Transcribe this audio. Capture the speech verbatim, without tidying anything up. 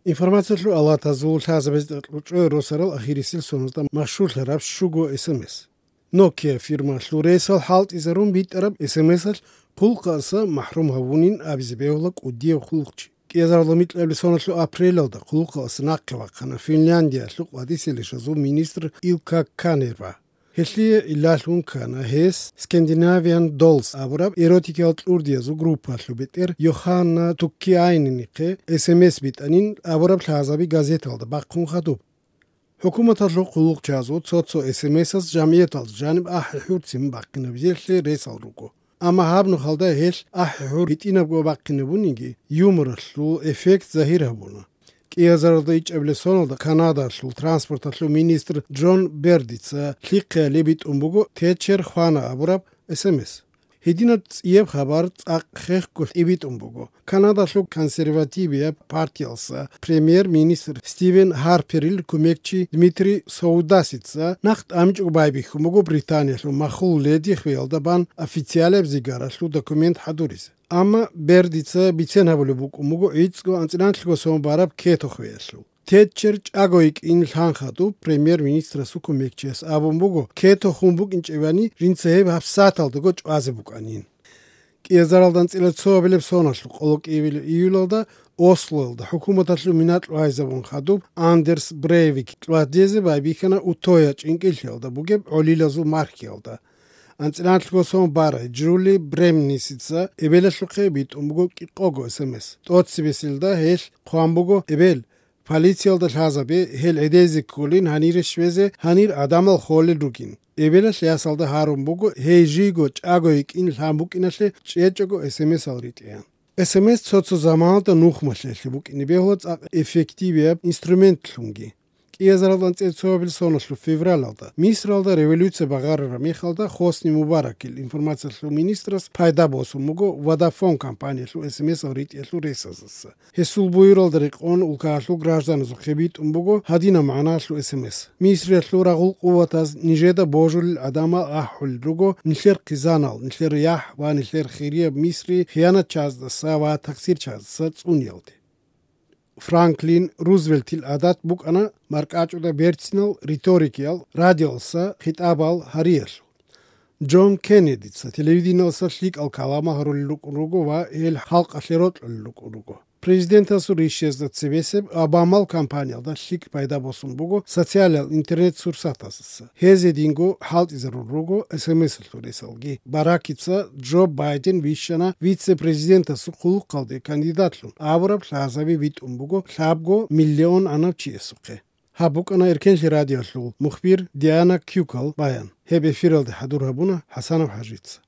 Информациялъул алатазул лъазабазда кьучӀой росарал ахирисел соналда машгьурлъараб щуго эс эм эс. Nokia фирмалъул ресал хӀалтӀизарун битӀараб эс эм эсалъ хъулухъалдаса махӀрум гьавунин абизе бегьула кӀудияб хъулухъчи. КӀиазарла микьабилеб соналъул апрелалда хъулухъалдаса нахъе вахъана Финляндиялъул къватӀисел ришазул министр Илкка Канерва. Гьелъие илалъун ккана гьес Scandinavian Dolls абураб эротикиял кьурдиязул группаялъул бетӀер Йоханна Туккиайненихъе эс эм эс битӀанин абураб лъазаби газеталда бахъун хадуб. ХӀукуматалъул хъулухъчазул цо-цо эс эм эсаз жамгӀияталда жаниб ахӀи-хӀурцин бахъинабизелъе ресал руго. Амма гьаб нухалда гьелъ ахӀи-хӀур гьитӀинабго бахъинабуниги, юморалъул эффект загьир гьабуна. КӀиазаралда ичӀабилеб соналда Канадалъул транспорталъул министр Джон Бердица лъихъеялде битӀун буго Течер хвана абураб эс эм эс. Гьединаб цӀияб хабар цӀакъ хехго тӀибитӀун буго. Канадалъул консервативияб партиялса премьер-министр Стивен Харперил кумекчи Дмитрий Соудасица нахъ тӀамичӀого байбихьун буго Британиялъул махул леди хвеялда бан официалияб зигараялъул документ хӀадуризе. Амма Бердица бицен гьабулеб букӀун буго гӀицӀго анцӀила анлъго сон бараб Кето хвеялъул. Тетчер чӀаго йикӀин лъан хадуб премьер-министрасул кумекчияс абун буго, Кето хун букӀинчӀебани, жинца гьеб гьабсагӀаталдаго чӀвазе букӀанин. КӀиазаралда анцӀила цоабилеб соналъул къоло кӀиабилеб июлалда Ослоялда хӀукуматалъул минакьу гьайзабун хадуб Андерс Брейвик тӀадезе байбихьана Утоя чӀинкӀиллъиялда бугеб гӀолилазул мархиялда. АнцӀила анлъго сон барай Джули Бремнисица эбелалъухъе битӀун буго кӀикъого эс эм эс. ТӀоцебеселда гьелъ хъван буго: «Эбел, полициялда лъазабе, гьел гӀедезе кколин гьанире щвезе, гьанир гӀадамал холел ругин». Эбелалъ ясалда гьарун буго гьей жийго чӀаго йикӀин лъан букӀиналъе чӀечӀого эс эм эсал ритӀеян. Эс эм эс цо-цо заманалда нухмалъиялъе букӀине бегьула цӀакъ эффективияб инструментлъунги. КӀиазаралда анцӀила цоабилеб соналъул февралалда Мисралда революция багъарараб мехалда Хосни Мубаракил информациялъул министрас пайда босун буго Водафон компаниялъул эс эм эсал ритӀиялъул ресаздаса. Гьесул буюралда рекъон улкаялъул гражданазухъе битӀун буго гьадинаб магӀнаялъул эс эм эс: «Мисриялъул рагъул къуватаз нижеда божулел гӀадамал ахӀулел руго нилъер хъизанал, нилъер яхӀ ва нилъер хирияб Мисри хиянатчаздаса ва таксирчаздаса цӀуниялде». Франклин Рузвельтил гӀадат букӀана маркӀачӀуда берцинал риторикиял, радиоялдаса хитӀабал гьариялъул. Джон Кеннедица телевидениялдаса лъикӀал каламал гьарулел рукӀун руго ва гьел халкъалъе рокьулел рукӀун руго. Президентасул ришшезда цебесеб Обамал кампаниялда лъикӀ пайда босун буго социалиял интернет-сурсатаздаса. Гьезединго хӀалтӀизарун руго эс эм эсалъул ресалги. Баракица Джо Байден вищана вице-президентасул хъулухъалде кандидатлъун абураб лъазаби битӀун буго лъабго миллион гӀанав чиясухъе. Гьаб букӀана Эркенлъи радиоялъул мухбир Диана Кюкал баян. Гьеб эфиралде хӀадур гьабуна ХӀасанов ХӀажица.